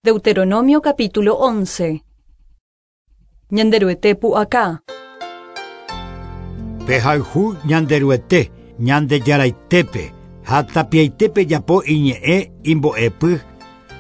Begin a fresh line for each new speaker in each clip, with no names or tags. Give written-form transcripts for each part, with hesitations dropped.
Deuteronomio capítulo 11. Ñanderuete pu'aka.
Pehayhu Ñanderuete, Ñandejaraitépe, ha tapiaite pejapo iñe'ẽ imbo'epy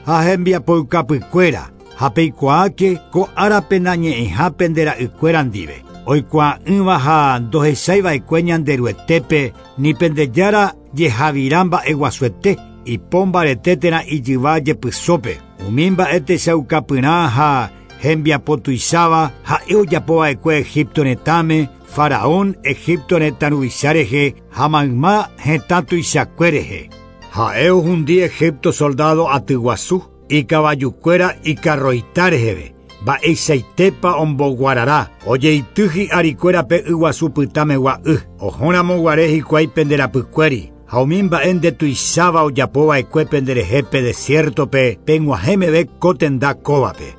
ha hembiapoukapykuéra, ha peikuaáke ko árape nañe'ẽha pende ra'ykuéra ndive, oikuaa'ỹva ha ndohechaiva'ekue Ñanderuetépe ni pende Jára jehavira mba'eguasuete, ipo mbarete térã ijyva jepysópe. Umi mba'e techaukapyrã ha hembiapo tuicháva ha'e ojapova'ekue Egipto retãme, Faraón Egipto retã ruvicha rehe ha mayma hetã tuichakue rehe. Ha'e ohundi Egipto soldado aty guasu, ikavajukuéra ikarroita reheve, mba'eichaitépa omboguarara, ojeity hi'arikuéra pe yguasu pytãmegua y, ohóramo guare hikuái pende rapykuéri. Ha umi mba'e ndetuicháva ojapova'ekue penderehe pe desiértope peg̃uahẽ meve ko tenda kóvape.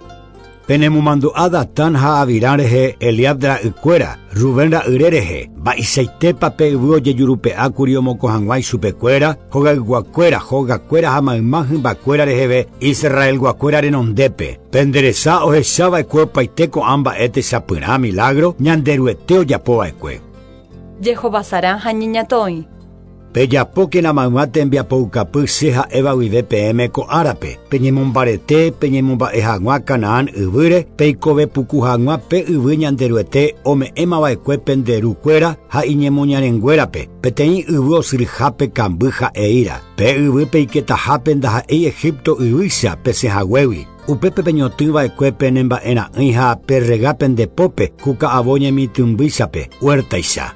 Penemomandu'a Datán ha Abirán rehe Eliab ra'ykuéra, Rubén ra'yre rehe, mba'eichaitépa pe yvy ojejurupe'ákuri omokõ hag̃ua ichupekuéra, hogayguakuéra, hogakuéra ha mayma hymbakuéra reheve Israelguakuéra renondépe. Pende resa ohechava'ekue opaite ko'ã mba'e techapyrã milagro Ñanderuete ojapova'ekue.
Jehovasarã ha ñeñatõi.
Pejapókena mayma tembiapoukapy che ha'éva guive peẽme ko árape, peñemombarete peñemomba'e hag̃ua Canaán yvýre, peikove puku hag̃ua pe yvy Ñanderuete ome'ẽmava'ekue pende rukuéra ha iñemoñarenguérape, peteĩ yvy osyryhápe kamby ha eíra. Pe yvy peiketahápe ndaha'éi Egipto yvýicha pesẽhaguégui. Upépe peñotỹva'ekue pene mba'era'ỹi ha perrega pende pópe ku ka'avo ñemitỹmbýichape, huértaicha.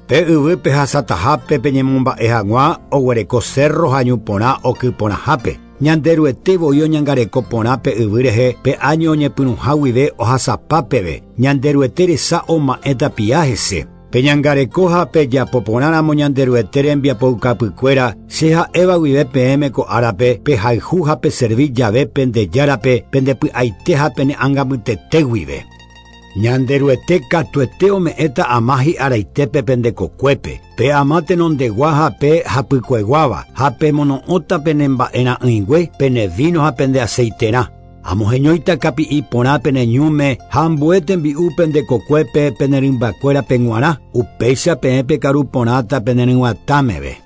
Pe yvy pehasatahápe peñemomba'e hag̃ua oguereko cerro ha ñu porã oky porãhápe. Ñanderuete voi oñangareko porã pe yvy rehe pe áño oñepyrũha guive ohasapa peve. Ñanderuete resa oma'ẽ tapia hese. Peñangareko ha pejapo porãramo Ñanderuete rembiapoukapykuéra, che ha'éva guive peẽme ko árape, pehayhu ha peservi jave pende Járape pendepy'aite ha pene ãngamytete guive. Ñanderuete katuete ome'ẽta ama hi'araitépe pende kokuépe, pe ama tenondegua ha pe hapykueguáva, ha pemono'õta pene mba'era'ỹingue, pene vino ha pende aceiterã. Amoheñóita kapi'i porã pene ñúme ha ambue tembi'u pende kokuépe pene rymbakuérape g̃uarã, upéicha peẽ pekaru porãta pene ryg̃uatã meve.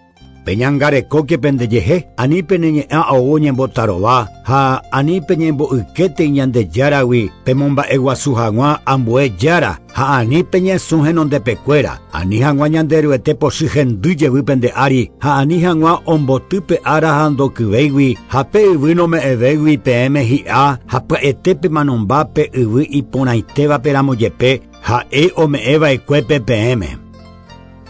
Peñangarekóke pendejehe, ani pene ñe'ã ou ñembotarova ha ani peñembo'ykétei Ñandejáragui pemomba'eguasu hag̃ua ambue jára ha ani peñesũ henondepekuéra, ani hag̃ua Ñanderuete pochy hendy jevy pende ári ha ani hag̃ua omboty pe ára ha ndokyvéigui ha pe yvy nome'ẽvéigui peẽme hi'a ha pya'ete pemanomba pe yvy iporãitévape ramo jepe ha'e ome'ẽva'ekuépe peẽme.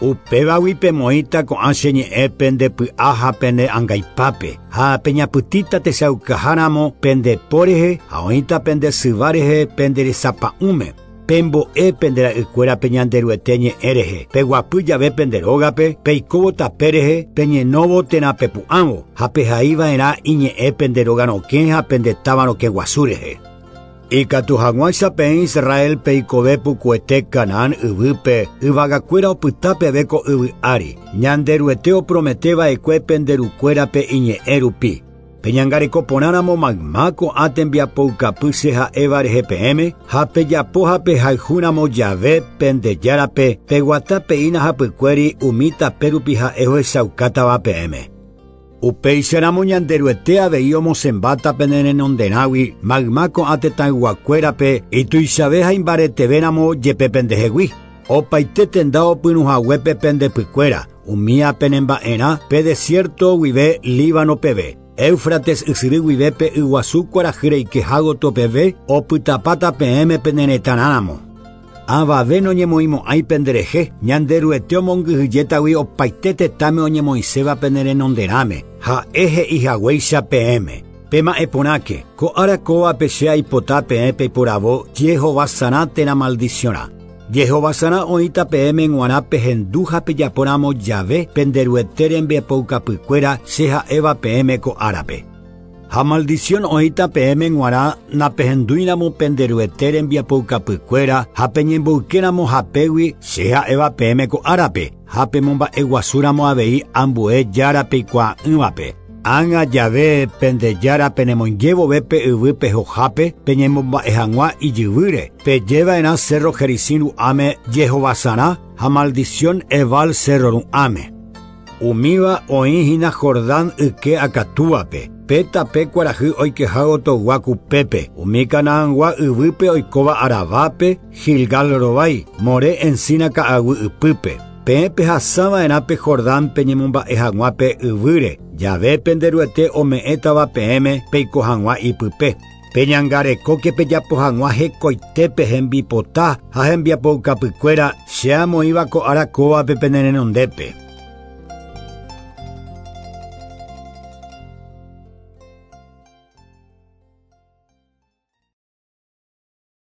Upévagui pemoĩta ko'ã che ñe'ẽ pende py'a ha pene angaipápe, ha peñapytĩta techaukaháramo pende po rehe ha oĩta pende syva rehe pende resapa'ũme. Pembo'e pende ra'ykuérape Ñanderuete ñe'ẽ rehe, peguapy jave pende rógape, peikóvo tape rehe, peñenóvo térã pepu'ãvo, ha pehaiva'erã iñe'ẽ pende róga rokẽ ha pende táva rokẽ guasu rehe. Ikatu hag̃uáicha peẽ Israel peikove pukuete Canaán yvýpe, yvagakuéra opyta peve ko yvy ári, Ñanderuete oprometeva'ekue pende rukuérape iñe'ẽ rupi. Peñangareko porãramo mayma ko'ã tembiapoukapy che ha'éva rehe peẽme, ha pejapo ha pehayhúramo jave pende Járape, peguata peína hapykuéri umi tape rupi ha'e ohechaukátava peẽme. Upéicharamo Ñanderuete avei omosẽmbáta pene renonderãgui mayma ko'ã tetãyguakuérape ituichave ha imbaretevéramo jepe pendehegui. Opaite tenda opyrũhaguépe pende pykuéra, umía penemba'erã pe desierto guive Líbano peve, Éufrates ysyry guive pe yguasu kuarahy reikeha gotyo peve, opytapáta peẽme pene retãrãramo. Avave noñemoĩmo'ãi penderehe, Ñanderuete omongyhyjétagui opaite tetãme oñemoĩséva pene renonderãme, ha'e he'ihaguéicha peẽme. Pema'ẽ porãke, ko ára kóvape che aipota peẽ peiporavo jehovasarã térã maldiciónrã. Jehovasarã oĩta peẽme g̃uarã pehendu ha pejapóramo jave Penderuete rembiapoukapykuéra che ha'éva peẽme ko árape. Ha maldición oĩta peẽme g̃uarã napehendúiramo pende Ruete rembiapoukapykuéra ha peñemboykéramo hapégui che ha'éva peẽme ko árape, ha pemomba'eguasúramo avei ambue jára peikuaa'ỹvape. Ág̃a jave pende Jára penemoingévove pe yvy pehohápe peñemomba'e hag̃ua ijyvýre. Pejeva'erã Cerro Gerizim ru'ãme jehovasarã ha maldición Ebal cerro ru'ãme. Umíva oĩhína Jordán yke akatúape. Pe tape kuarahy oikeha gotyo kupépe. Umi Canaangua yvýpe oikóva Arabápe, Gilgal rovái, More encina ka'aguy ypýpe. Peẽ pehasava'erã pe Jordán peñemomba'e hag̃ua pe yvýre, jave pende Ruete ome'ẽtava peẽme peiko hag̃ua ipype. Peñangarekóke pejapo hag̃ua hekoitépe hembipota ha hembiapoukapykuéra che amoĩva ko ára kóvape pene renondépe.